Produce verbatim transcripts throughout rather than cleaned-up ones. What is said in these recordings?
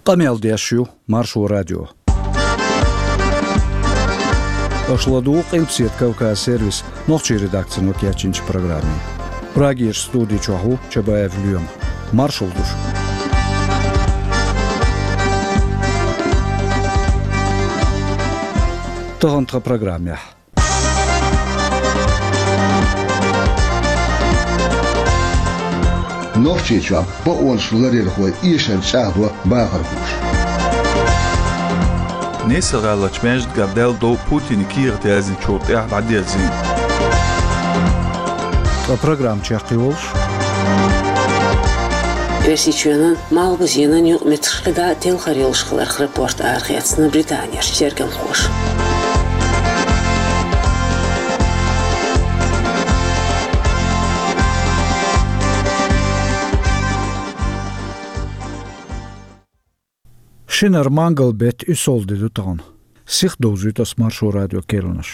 Къамел деш ю Маршо радио. Аша ладугӀу Къилбаседа Кавказ сервисан нохчийн редакцино кечйинчу программе. Прагерчу студи чохь ву Чабаев Лоьма. Маршалла ду шуьга. Тахана тхан программехь. Нохчийчохь бакъонаш ларъярхой эшар чӀагӀдо бахархоша. Нийсар-ГӀаларчу маьждигехь даьлла дов Путине кехат яздинчул тӀаьхьа дӀадерзийна. Ткъа программа чекхйолуш. Оьрсийчоьнан малхбузенан юкъаметтигаш кхидӀа а телхар йолуш хиларх рапорт арахецна Британерчу тергамхоша. Шинара мангал-беттан уьссалгӀа де ду тахана. Сиха довзуьйту ас Маршо радион керланаш.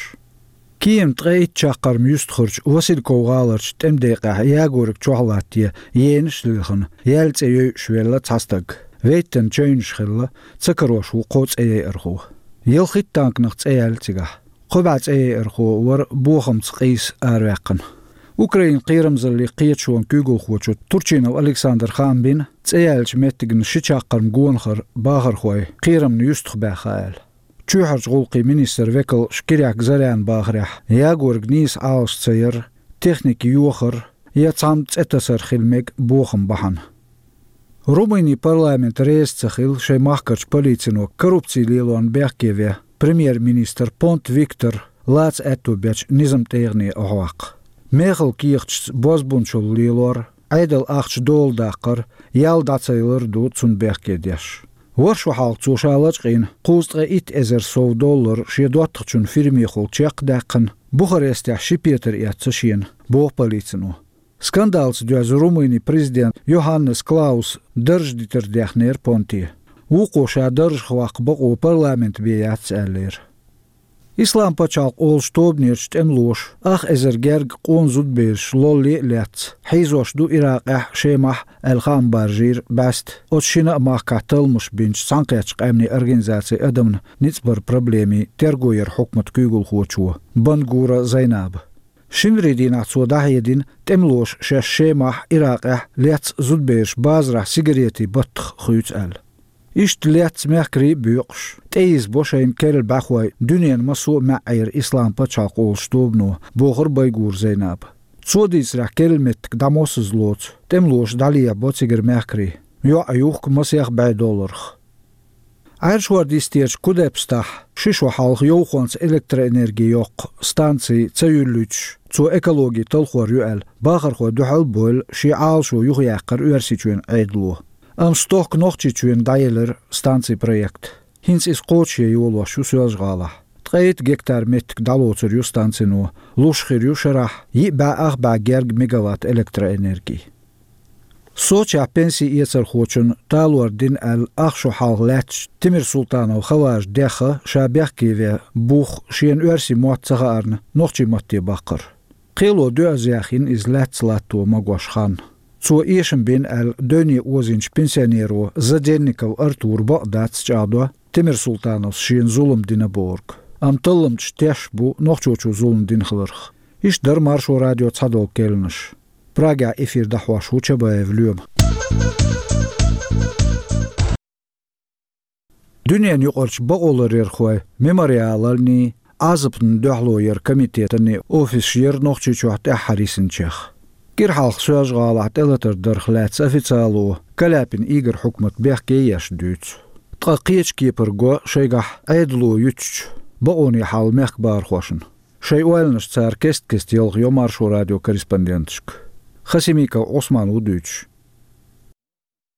Киевна ткъе итт чаккхарма юьстахарчу Васильков-ГӀаларчу тӀемадекъехь ягориг чохь латтае енаш а лилхина, яьлла цӀе йойуш велла цхьа стаг. Вейттан чевнаш хилла, ца карош ву кхо цӀе яйархо. Ялхитта танканах цӀе яьлла цигахь. Кхо бӀе цӀе яйархо вара бохамца къийса араваьккхина. Украинан кхерамзаллин кхеташонан куьйгалхочо Турчинов Александра хаам бина, цӀе яьллачу меттигна ши чаккхарма гонахара бахархой кхерамна юьстахбаьхна аьлла. Чоьхьарчу гӀуллакхийн министран векалша Киряк Заряна бахарехь, ягориг нийса Ӏалаш ца яр, техника йохар я цхьамма цӀе тасар хила мега бохам бахьана. Румынин парламент реза ца хилла шайн махкарчу полицино коррупцин лелорна бехке вен премьер-министр Понта Виктор лаца аьтто бечу низаман тӀегӀане охьаваккха. Мехала кехаташца бозбунчалла лелор, Ӏедалан ахча дола даккхар, ял дӀа ца ялар ду цунна бехке деш. ВорхӀ шо хьалха цо ша лачкъийна кхузткъе итт эзар сов доллар шен доттагӀчун фирмехула чекх а даьккхина, Бухарестехь ши петар эцна шена, боху полицино. Скандалца доьзна Румынин президент Йоханнес Клаус дарж дитар дехнера Понте. Вукхо ша даржах ваккха бакъо парламент бен яц аьллера. Ислам пачхьалкх олучу тобанерчу тӀемалоша ах эзар герга къона зудабераш лолле а лаьцна, хьийзош ду Иракъехь, Шемахь аьлла хаам баржийра бӀаьста, оцу шина а махкахь талламаш бинчу Цхьаьнакхеттачу Къаьмнийн Организацин адамна ницкъ баран проблемийн терго яран хьукматан куьйгалхочо Бангура Зайнаба. Шинарин дийнахь цо дӀахьедина, тӀемалоша шаьш Шемахь, Иракъехь лецна зудабераш базарахь сигаретийн баттах хуьйцу аьлла. Иштта лецна мехкарий а боькъуш, тӀеийзабо шайна керла бӀаьхой дуьненан массо а маьӀӀера Ислам пачхьалкх олучу тобано, бохура Байгура Зайнаба. Цо дийцарехь, керла меттиг дӀамоссаза лоцу, тӀемалоша дӀалехьабо цигара мехкарий, йоӀ а юхку масех бӀе долларх. Ӏаьржа хӀордан йистерчу Кудепстахь ши шо хьалха йовхонца электроэнерги йоккху станци ца юьллуьйтуш, цо экологи талхор ю аьлла, бахархой дуьхьал а бевлла, шен Ӏалашо юхаяьккхира Оьрсийчоьнан Ӏедало. Амма стохка Нохчийчоьнна дӀаелира станцин проект. ХӀинца иза кхочушъян йолош ю Соьлжа-ГӀалахь. Ткъе итт гектар меттиг дӀалоцур ю станцино, луш хир ю шарахь йиъ бӀе ах бӀе герга мегаватт электроэнерги. Сочехь пенси эцархочунна талор дина аьлла, ах шо хьалха лаьттачу Тимирсултанов Хаважа дехна ша бехке вен бух шена оьрсийн мотт ца хаарна, нохчийн матте баккхар. Кхело доьазза яьхна иза лаьцна латто магош хан. Цо эшам бина аьлла, девне озийначу пенсионеро Заденников Артура бакъ дац чӀагӀдо Тимирсултановс шена зулам дина бохург. Амма талламчаш тешна бу нохчочо зулам дина хиларх. Иштта дара Маршо радион цхьадолу керланаш. Прагехь эфир дӀахьош ву Чабаев Лоьма. Дуьненаюкъарчу бакъоларъярхойн Мемориаланний, Ӏазапна дуьхьало яран комитетанний офисаш яра Нохчийчохь тӀаьххьара йисинчех. Кира хьалха Соьлжа-ГӀалахь тӀелатар дарх лаьцна официало Каляпин Игорь хьукмат бехке еш дуьйцу. Ткъа кхечу кепара го шайгахь Ӏедало юьтучу бакъонийн хьал мехкан бахархошна. Шайн ойланаш цара кест-кеста ялхайо Маршо радион корреспонденташка. Хасимиков Ӏусман ву дуьйцуш.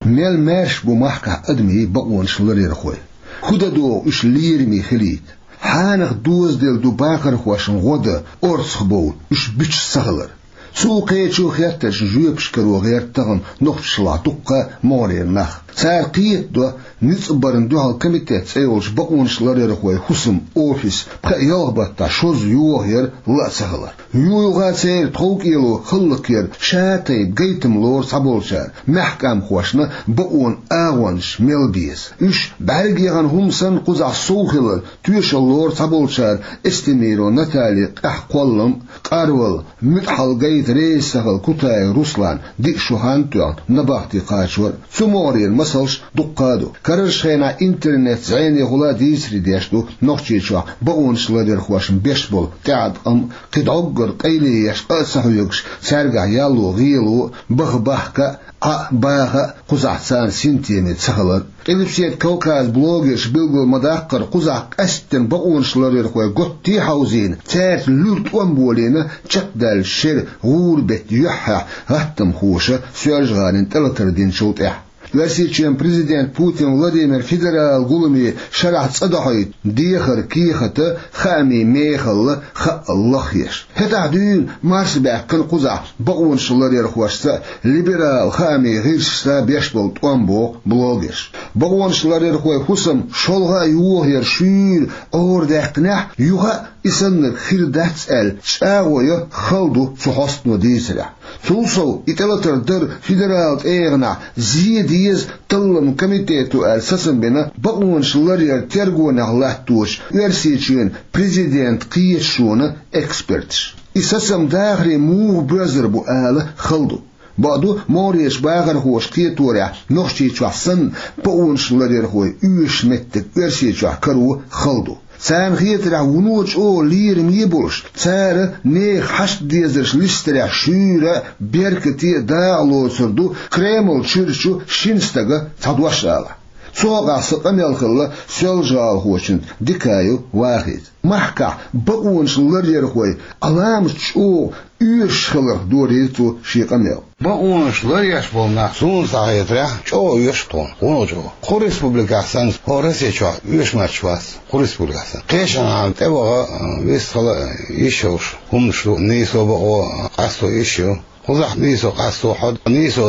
Мел маьрша бу махкахь адамийн бакъонаш ларъярхой? ХӀун дан догӀу уьш лераме хилийта? Хьанах дозаделла ду бахархошна гӀо дан орцах бовла уьш буьтуш ца хилар? Цул кхечу хеттаршна жоьпаш каро гӀерта тахана Нохчашлахь дуккха а могӀарера нах. Цара кхетадо ницкъ барна дуьхьал комитет цӀе йолчу бакъонаш ларъярхойн хӀусаман офис пхеа-ялх баттахь шозза йохаяр ла а ца хилар. Юха церан тховкӀело хӀаллакьяр ша тайпа гайтам лору цхьаболчара, маьхкамхошна бакъонан агӀонаш мел беза. Уьш бӀаьрга яхана хӀума санна кхузахь сов хилар тоьшалла лору цхьаболчара Эстемирова Натальин къаьхьа кхоллам а, къарвала, муьтӀахь гайта реза ца хилла Кутаев Русланан диъ шо хан а тоьхна набахти кхачор а. Цу могӀарера масалш дуккха а ду. Карарчу хенахь интернет зӀенехула дийцаре деш ду Нохчийчохь бакъонаш ларъярхошна беш болу тӀеӀаткъам а, кхин дӀоггара къайле еш къа а ца хьоьгуш, цаьргахь ялло гӀело а, баха бахка а, Ӏа а баха а кхузахь царна синтеме ца хилар. Къилбаседа Кавказан блогерша билгал ма-даккхара, кхузахь къаьсттина бакъонаш ларъярхой готте а хьовзийна, цаьрца луьра тӀом болийна, чекхдаьллачу шеран гӀуран беттан юьххьехь гӀаттамхоша Соьлжа-ГӀалина тӀелатар динчул тӀаьхьа. Оьрсийчоьнан президент Путин Владимир федералан гуламе шарахь цӀа дохьуьйту дехар кехата хаамийн мехалла хаъал лахъеш. ХӀетахь дуьйна марс баьккхина кхузахь бакъонаш ларъярхошца а, либерал хаамийн гӀирсашца а беш болу тӀом, боху блогерша. Бакъонаш ларъярхойн хӀусам шолгӀа а йохаяр шуьйра Ӏорадаьккхинехь, юха а и саннарг хир дац аьлла, чӀагӀо ян хала ду цу хьостано дийцарехь. Цул сов, и тӀелатар дар федералан тӀегӀанехь зе деза талламан комитето аьлла сацам бина бакъонаш ларъяран тергонехь латточу Оьрсийчоьнан президентан кхеташонан эксперташа. И сацам дахаре муха боьзар бу ала хала ду. Бакъду, могӀарерчу бахархоша кхеторехь, Нохчийчохь санна, бакъонаш ларъярхойн оьшуш меттиг Оьрсийчохь каро хала ду. Царна хетарехь, вуно чӀогӀа лераме а болуш, цара нехан хьашт-дезарш листарехь шуьйра а, беркате а дакъа лоцур ду Кремлан чуьра чу шина стага цхьа дош алахь. Цу хьокъехь сан къамел хилла соьлжа-гӀалахочуьнца, Дикаев Вахица. Махкахь бакъонаш ларъярхой Ӏаламат чӀогӀа оьшуш хиларх дорийра цо шен къамел. Бакъонаш ларъеш болу нах, суна схьахетарехь, чӀогӀа оьшу тхуна, вуно чӀогӀа. Кху республикехь санна, хӀокху Росси чохь оьшу моьттуш вац, кху республикехь санна. Кхечанхьа тӀеваха, вистхила йиш йолуш хӀуманаш ду, нийсо, бакъо, къасто йиш ю. Кхузахь нийсо, къасто, хьо нийсо,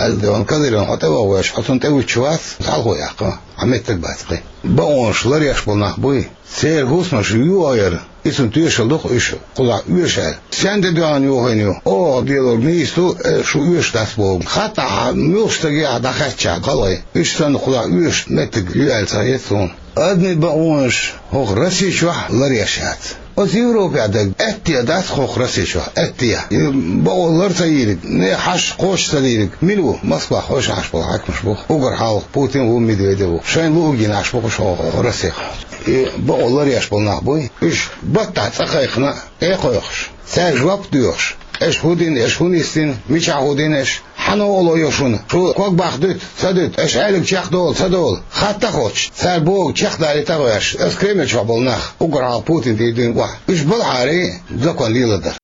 аьлла, Кадыровна хьо тӀеваха веш, хьо цунна тӀевуьттуш вац, хьалхо яккха, хьан меттиг бац кхин. Бакъонаш ларъеш болу нах буй? Церан хӀусамаш йохаяр, и цунна тоьшалла ду-кх уьш, кхузахь оьшу аьлла. Стенна тӀедоьгӀна йохийна ю? Оха делорг нийса ду, э, шу оьшуш дац боху. Хаттахь муьлххачу стаге а дӀахаьттича халкъе, уьш санна кхузахь оьшуш меттиг ю аьлла ца хета суна. Адамийн бакъонаш хӀокху Росси чохь ларъеш яц. Оцу Европехь дерг аьттехьа дац хӀокху Росси чохь, аьттехьа. И бакъо лар ца йийриг, нехан хьашт кхочуш ца дийриг мила ву? Москвахь хьошалгӀа Ӏаш болу хьаькамаш бу. Уггар хьалха Путин ву, Медведев ву. Шайна луъург йина Ӏаш бу-кх уьш хӀокху Россехь. И бакъо ларъеш болу нах буй? Уьш баттахь цӀа кхайкхина а, тӀе а кхойкхуш, цаьрга жоп а доьхуш, аша хӀун дина, аша хӀун йистина, мичахь хӀун дина аша, хьан новкъарло йо шуна, шу ког баккха дуьту, ца дуьту, аша аьлларг чекхдолу, ца долу, хатта а хоттуш, цара бохург чекхдалийта а гӀоьртуш, оцу Кремлехь болу нах, уггар хьалха Путин тӀе дуьйна охьа. Уьш балхьара закон леладар.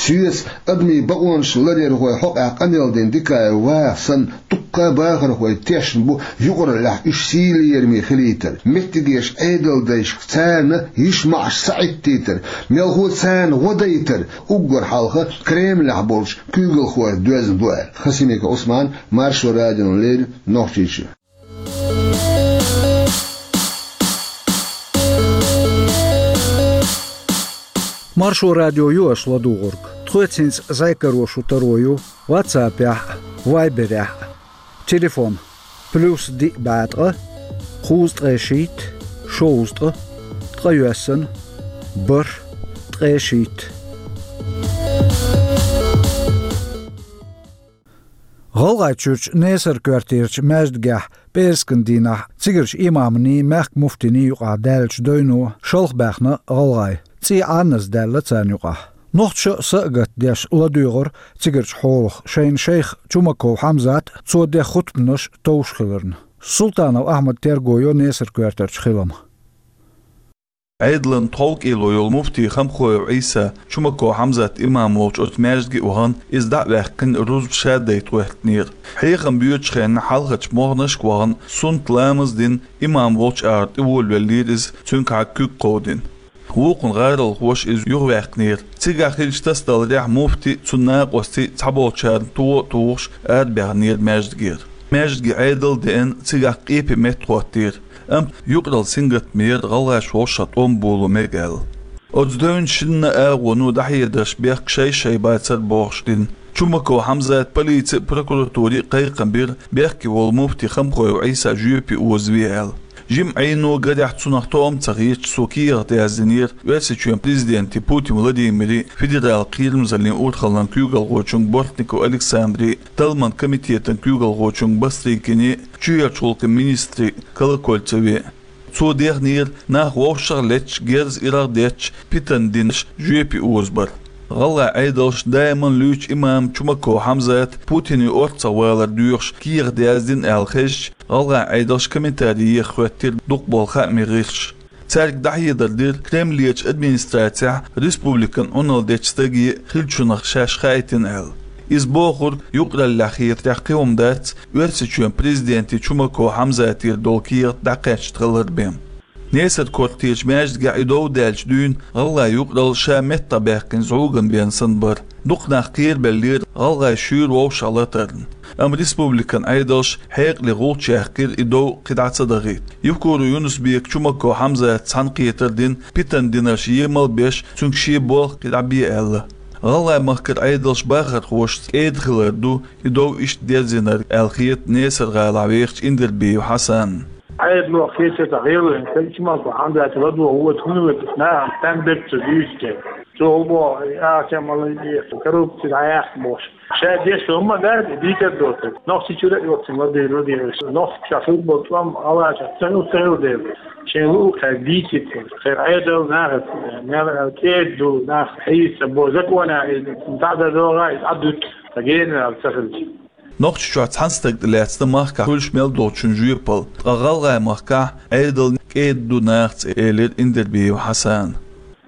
Соьца адамийн бакъонаш ларъярхойн хьокъехь къамел дина Дикаев Ваха санна, дуккха а бахархой тешна бу юкъараллехь уьш сий-лераме хилийтар, меттигерчу Ӏедалдайшка царна йиш-маьӀаш саӀиттийтар, мелхо царна гӀо дайтар, уггар хьалха Кремлехь болчу куьйгалхойх доьзна ду аьлла. Хасимиков Ӏусман, Маршо радиона леррина, Нохчийчоь. Маршо радио ю аша ладугӀург. Тхоьца хӀинца зӀе каро шу таро ю WhatsApp-ехь а, Viber-ехь а. Телефон: плюс диъ бӀе ткъа, кхузткъе шийтта, шовзткъа, ткъайоьсна, бархӀ, ткъе шийтта. ГӀалгӀайчуьрчу Несар-коьртарчу маьждигехь пӀераскан дийнахь цигарчу имамний, мехкан муфтиний юкъахь даьллачу дойно шалха баьхна гӀалгӀай. ЦӀий Ӏаназ даьлла царна юкъахь. Нохчаша а са а гатдеш ладоьгӀура цигарчу хьолах шайна шайх Чумаков Хьамзат а, цо ден хутбанаш а товш хиларна. Султанов Ахьмада терго йо Несар-коьртарчу хилам. Ӏедалан тховкӀело йолу муфти Хамхоев Ӏийса, Чумаков Хьамзат имам волчу оцу маьждиге а вахана, иза дӀа а ваьккхина, рузба ша дайта гӀоьртинера. Хьехам боьдучу хенна хьалхарчу могӀанашка а вахана, суннат ламаз а дина, имам волчу агӀор тӀеволавеллера иза, цуьнгахьа куьг кховдийна. Вукхун гӀаролхоша иза юхаваьккхинера. Цигахь хиллачу тасадаларехь, муфти а, цуьнан накъостий а цхьаболчарна тӀе а тухуш арабаьхнера маьждигера. маьждиге Ӏедал а деана, цигахь къепе меттахӀоттийра. Амма юкъаралла сингаттамера гӀалгӀаша вовшах тӀом боло мега аьлла. Оцу девнна шинна агӀоно дӀахьедарш бехк шай-шай бацара бохуш дина. Чумаков Хьамзата полици а, прокуратури а кхайкхам бира, бехке волу муфти Хамхоев Ӏийса жоьпе озаве аьлла. Жимма Ӏийно гарехь цунах тоам ца хеташ, цо кехат яздинера Оьрсийчоьнан президенте Путин Владимире, федералан кхерамзаллин урхаллин куьйгалхочуьнга Бортников Александре, талламан комитетан куьйгалхочуьнга Бастрыкине, чоьхьарчу гӀуллакхийн министре Колокольцеве. Цо дехнера нах вовшах а летташ, герз иргӀа а детташ, питана динарш жоьпе озабар. ГӀалгӀайн Ӏедалша даиман луьйчу имам Чумаков Хьамзата Путине орцах валар доьхуш кехат яздина аьлла хезча, гӀалгӀайн Ӏедалша комментари еха хӀоьттира дукхахболу хаамийн гӀирсаша. Цаьрга дӀахьедар дира Кремлерчу администрацехь республикан Ӏуналла дечу стаге хиллачунах шаьш хаийтина аьлла. Иза бохург юкъараллехь хетарехь кхин хӀума дац, Оьрсийчоьнан президенте Чумаков Хьамзатера долу кехат дӀакхаьчна хилар бен. Несар-Кортерчу маьждигехь и дов даьллачу дуьйна гӀалгӀайн юкъаралла ша меттахбаьккхина зӀугана бен санна бара. Дукха нах кхерабеллера гӀалгӀай шуьйра вовшах латарна. Амма республикан Ӏедалша хьекъале гӀулч яьккхира и дов кхидӀа ца дахийта. Евкуров Юнус-Бека Чумаков Хьамзата цхьаьнакхетар дина, питана динарш емал а беш, цуьнга шен болх кхидӀа бе аьлла. ГӀалгӀай махкара Ӏедалша бахархошца кӀеда хилар ду и дов иштта дерзийнарг аьлла хета Несар-ГӀалахь вехачу Индербиев Хьасанна. Ӏедало кхеча тӀе гӀелвина, Чумаков Хьамзата ладогӀа воцу хӀума ву, нахана стенна дерг ца дуьйцу те. Цо хӀун боху, и ахча ма лан деза, коррупци дӀаяьккха бохуш. Ша деш хӀума дац, дийцар доцург. Нохчийчуьра а йоццуш ладийр, ладийр. Нохчийчохь хилла болу тӀом гӀалгӀашкахь ца хилла, ца хилла дела. Шен луъу кхаьрга дийцира. Церан Ӏедал нахаца, мел кӀеда ду, нах хьийса бо, законехь иза дӀа дан догӀа, иза Ӏадуьту, ткъа генара ца хилча. Нохчийчохь цхьана стаг тӀе лаьцна махкахь хуьлуш мел долчун жоьпалла, ткъа гӀалгӀай махкахь Ӏедал кӀеда ду нахаца, элира Индербиев Хьасана.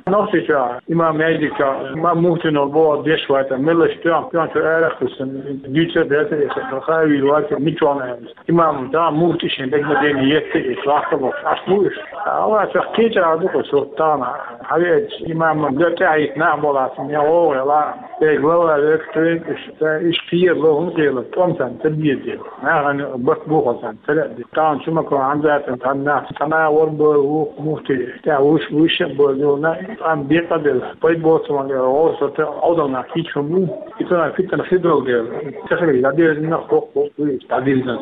Нохчийчохь, имам маьждигчохь, имам муфтино боху деш вац, меллаша тоьхна, тоьхначу арахь а кхуьссина, дуьйцур а дац, и ха-, хаа вийр вац, мичахь аьлла. Имам да, муфти шен дегнадене етта, и вахка бохуш, аш бу уьш. Аллахьа кхечара ду-кх уьш, тахана, хьавеача, имаман га тӀаьхьа йита нах боллац, я гӀовгӀа яла, я глава веккхуьйту уьш, ца, уьш кхерало, хӀун кхерало, тӀом санна ца беза. Нахана барт бохалла санна ца лаьа. Тахана Чумаков Хьамзатан цхьана нах, цхьана а вара боху муфти, тӀаьхьа вуьш, вуьш а боху, амма декъа а делла, пайда боцу ма гӀовса, Ӏовдал нах кийча хӀума бу. И цунах питана хир долу дела, ца хилар дӀадирзина, хӀокху, хӀокху, дӀадирзина.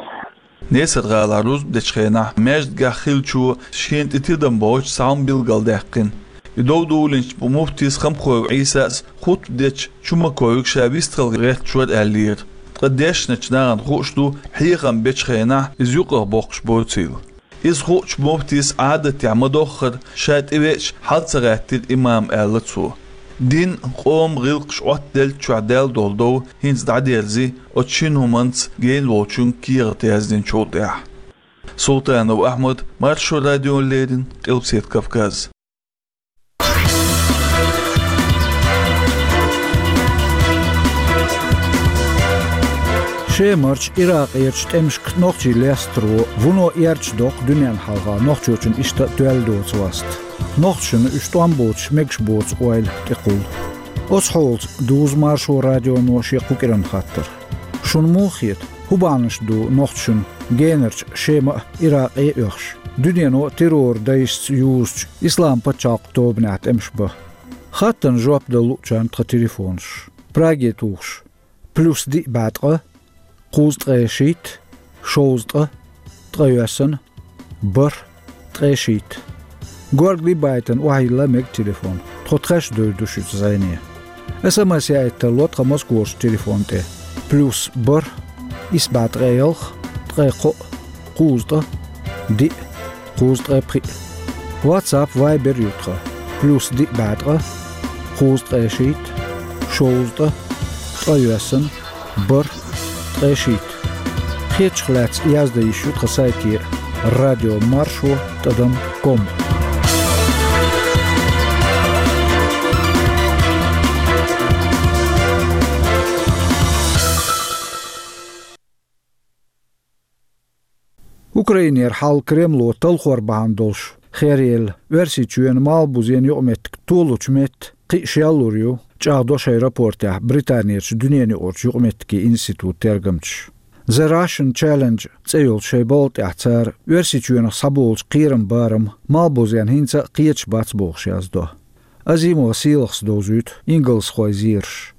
Несар-ГӀалахь рузба дечу хенахь маьждигехь хиллачо шена тӀе тидам бохуьйтуш цхьа хӀума билгалдаьккхина. И дов дуллинчу муфтис Хамхоев Ӏийсас хутба дечу Чумаковга ша вистхила гӀерташ вара аьллера. Ткъа дешначу нахана хууш ду, хьехам бечу хенахь иза юкъах боккхуш боцийла. Иза хуучу муфтис Ӏадатехь ма-доххара ша тӀевеача хьал ца гӀаьттира имам, аьлла цо. Дин, къоман гӀиллакхаш Ӏоттаделлачохь даьлла долу дов хӀинца дӀадерзи, оцу шина хӀуманца гена волчунга кехат яздинчул тӀаьхьа. Султанов Ахьмад, Маршо радиона леррина, Къилбаседа Кавказ. Шемарчу, Иракъерчу тӀемашка нохчий лестаро вуно эрча доккху дуьненна хьалха нохчочун иштта а тоьлла доцу васт. Нохчашна уьш тӀом боцуш мегаш боцу ойла тӀекхуллу. Оцу хьолаца дузу Маршо радионо шен кху кӀиран хаттар. Шуна муха хета, хӀун бахьанаш ду нохчашна генарчу Шема а, Иракъе а оьхуш, дуьнено а террор дайшца юзучу Ислам пачхьалкх тобанехь тӀемаш бан? Хаттарна жоп дала луучарна тхан телефонаш. Праге тухуш: плюс диъ бӀе ткъа, кхузткъе шийтта, шовзткъа, ткъайоьсна, бархӀ, ткъе шийтта. Горгали байтана охьайилла мега телефон. Тхо тхаьш девр ду шуьца зӀене. СМС яийта тарло тхан Москварчу телефон тӀе: плюс бархӀ, исс бӀе ткъе ялх, ткъе кхоъ, кхузткъа, диъ, кхузткъе пхиъ. WhatsApp, Viber ю тхан: плюс диъ бӀе ткъа, кхузткъе шийтта, шовзткъа, ткъайоьсна, бархӀ, ткъе шийтта. Хетачух лаьцна яздан йиш ю тхан сайте: радио маршо тӀадам ком. Украинера хьал Кремло талхор бахьана долуш хераелла Оьрсийчоьнан Малхбузен юкъаметтиг толучу метта кхин а шеллур ю, чӀагӀдо шайн рапортехь Британерчу дуьненаюкъарчу юкъаметтигийн институтан тергамчаша. The Russian Challenge цӀе йолчу шайн балха тӀехь цара Оьрсийчоьнах схьаболучу кхераман барам малхбузенна хӀинца а кхеташ бац бохуш яздо. Азимова Сийлахьас довзуьйту ингалсхойн зераш.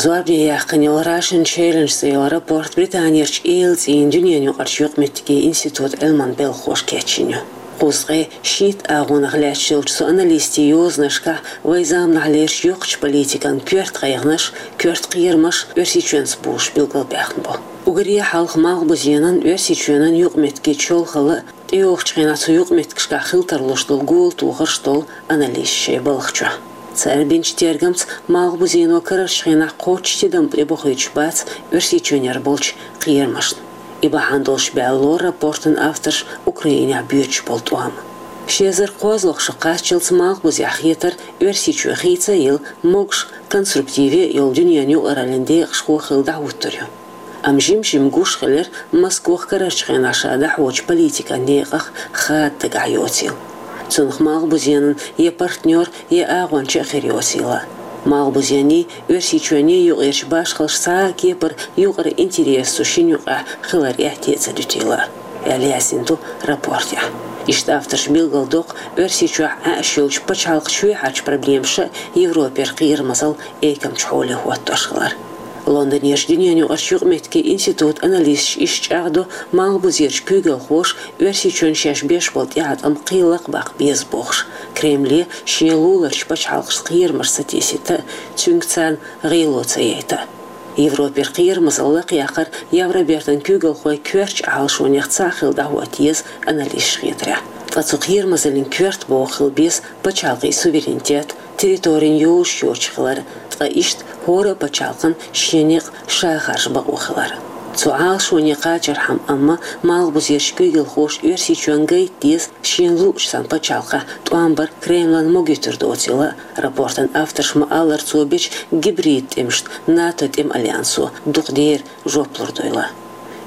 Зорбане яьккхина йолу Russian Challenge цӀе йолу рапорт Британерчу Йейл цӀийнан дуьненан юкъарчу юкъаметтигийн институтан Ӏилманан белхахоша кечйина ю. Кхузткъе шийтта агӀонах лаьтташ йолчу цу аналистийн йозанашкахь вайн заманахьлерчу йоккхачу политикан коьрта гӀайгӀанаш, коьрта кхерамаш Оьрсийчоьнца бовлуш билгалбаьхна бу. Уггаре хьалха малхбузенан, Оьрсийчоьнан юкъаметтигийн чолхалла, тӀейогӀучу хенахь цу юкъаметтигашкахь хила тарлуш долу гӀуллакх тохарш долу аналисташ шайн балха чохь. Цара бинчу тергамца малхбузено карарчу хенахь кхоччуш тидам тӀебохуьйтуш бац Оьрсийчоьнера болчу кхерамашна. И бахьана долуш баьлла лору рапортан авторш Украинехь боьдуш болу тӀом. Ши эзар кхозлагӀа шо кхаччалц малхбузехь хетар Оьрсийчоь хийца а елла, могуш, конструктиве а йолу дуьненан юкъараллин декъашхо хилла дӀахӀуттур ю. Амма жим-жима гуш хилира Москох карарчу хенахь ша дӀахьочу политикан некъах хада дагахь йоцийла. Цунах малхбузенан я партнер, я агӀонча а хир йоцийла. Малхбузенний, Оьрсийчоьнний юкъерчу башхаллаш цхьа а кепара юкъара интерес цу шина юкъахь хилар эхь а ца дуьтийла, аьлла яздина ду рапортехь. Иштта авторша билгалдоккху Оьрсийчохь Ӏаьаш йолчу пачхьалкхан чоьхьарчу проблемаша Европера кхерамазалла экамчу хьоле хӀоттош хилар. Лондонерчу дуьненан юкъарчу юкъаметтигийн институтан аналисташа иштта чӀагӀдо, малхбузерчу куьйгалхоша Оьрсийчоьнна шаьш беш болу тӀеӀаткъам кхин лакхабаккха беза бохуш, Кремле шен луларчу пачхьалкхашца кхерамаш ца тесийта а, цуьнга царна гӀело ца яйта а. Европера кхерамазалла лакхаяккхар Евробертан куьйгалхойн коьртачу Ӏалашонех цхьаъ хилла дӀахӀотта еза аналисташна хетарехь. Ткъа цу кхерамазаллин коьрта боху хила беза пачхьалкхийн суверенитет, территорин йозуш йоцуш хилар, ткъа иштта хӀора а пачхьалкхан шен некъ ша харжа бакъо хилар. Цу Ӏалашоне кхачархьама амма малхбузерчу куьйгалхоша Оьрсийчоьнна гайта деза шена луучу цхьана пачхьалкхехь тӀом бар Кремлан могуьйтур доцийла, рапортан авторша ма-аллара цо бечу гибрид тӀемашна НАТО тӀеман альянсо дукха дера жоп лур дуйла.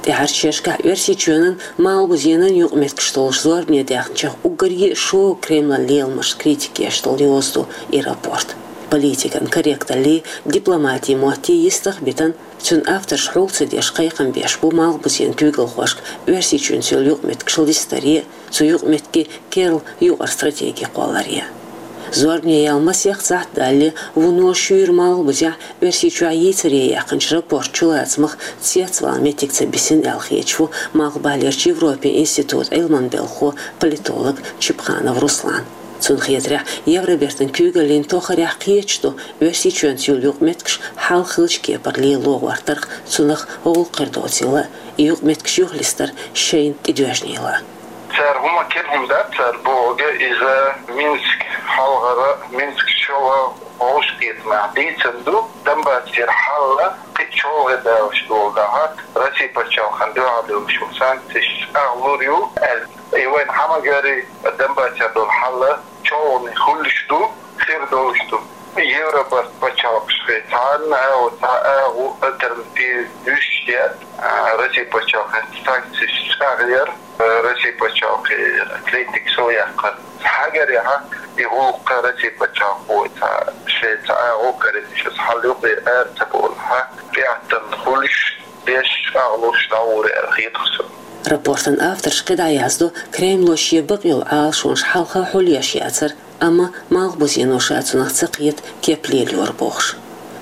ТӀаьхьарчу шерашкахь Оьрсийчоьнан, малхбузенан юкъаметтигаш толлуш зорбане даьхначех уггаре а шога Кремлан леламашна критика еш долу йоза ду и рапорт. Политикан корректаллий, дипломатин моттий йистах а битина, цуьнан авторша хьул ца деш кхайкхам беш бу малхбузенан куьйгалхошка Оьрсийчоьнца йолу юкъаметтигаш листаре а, цу юкъаметтигийн керла юкъара стратеги кхолларе а. Зорбане яьлла масех сахьт далале, вуно шуьйра малхбузехь Оьрсийчохь йийцаре яьккхинчу рапортан чулацамах цецвала меттиг ца бисина аьлла хеташ ву Малхбалерчу Европин институтан Ӏилманан белхахо, политолог Чипханов Руслан. Цунна хетарехь, Евробертан куьйгаллин тохарехь кхеташ ду Оьрсийчоьнца йолу юкъаметтигаш хьалха хиллачу кепара лело гӀортарх, цунах гӀуллакх хир доцийла, и юкъаметтигаш юхалистар шайна тӀедоьжнийла. Цара хӀума кхин хӀума дац, цара бохург иза Минск хьалхара, Минск чола вовшахкхетамехь дийцина ду, Донбассера хьал кхин чолхе далуш долу дахьа, Россия пачхьалкхана дуьхьал долуш санкцеш агӀлур ю аьлла. И вайн хьамагари Донбассера долу хьал чолхане хуьлуш ду, хир долуш ду. Европа пачхьалкхашкахь цхьанна а, цхьа а агӀо, альтернатива дуьсуш яц, а, Россия пачхьалкхан санкцеш чӀагӀъяр, а, Россия пачхьалкхан критика сов яккхар. Хьагарехь, и гӀуллакх Россия пачхьалкхо цхьа, шайн цхьа а агӀо карийча, иза хьал юкъе ара ца болахь, тӀеӀаткъам хуьлуш, деш, агӀлуш дӀагӀур аьлла хеташ ду. Рапортан авторша кхидӀа яздо, Кремло шен бакъйолу Ӏалашонаш хьалха хьулъеш яцара, амма малхбузено ша цунах ца кхета кеп лелайора бохуш.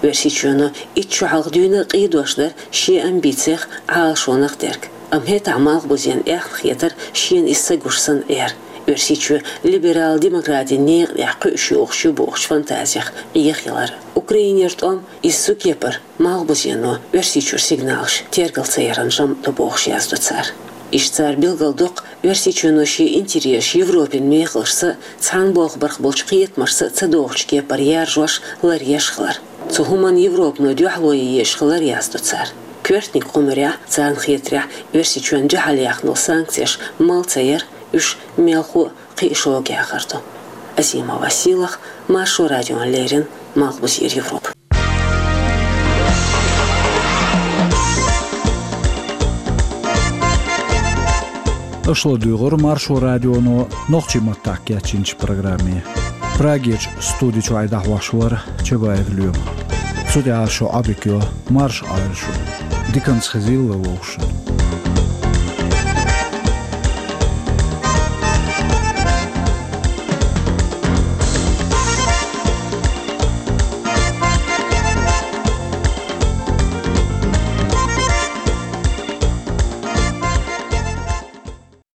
Оьрсийчоьно итт шо хьалха дуьйна а къийдош дара шен амбицех, Ӏалашонах дерг. Амма хӀетахь малхбузенна аьхна хетара шена иза ца гуш санна Ӏер, Оьрсийчоь либерал-демократин некъа тӀехь кхуьуш йогӀуш ю бохучу фантазех Ӏехаялар. Украинера тӀом иза цу кепара малхбузено Оьрсийчуьра сигналаш тергал ца яран жамӀ ду бохуш яздо цара. Иштта цара билгалдоккху, Оьрсийчоьно шен интересаш Европин мехалашца, цхьана болх барх болчу кхетамашца ца догӀучу кепара яржош, ларъеш хилар. Цу хӀуманна Европано дуьхьало ян езаш хилар яздо цара. Коьртаниг кху муьрехь, царна хетарехь, Оьрсийчоьнна дуьхьал яьхна санкцеш мала ца яр, уьш мелхо а кхин а шога яхар ду. Азимова Сийлахь, Маршо радиона леррина, Малхбузера Европа. Аша ладуьйгӀура Маршо радионо нохчийн маттахь кечйинчу программе. Прагерчу студи чуьра дӀахьош вара Чабаев Лоьма. Цу тӀехь шун Ӏодика йо, марша Ӏойла шу. Диканцхезилла вовшан.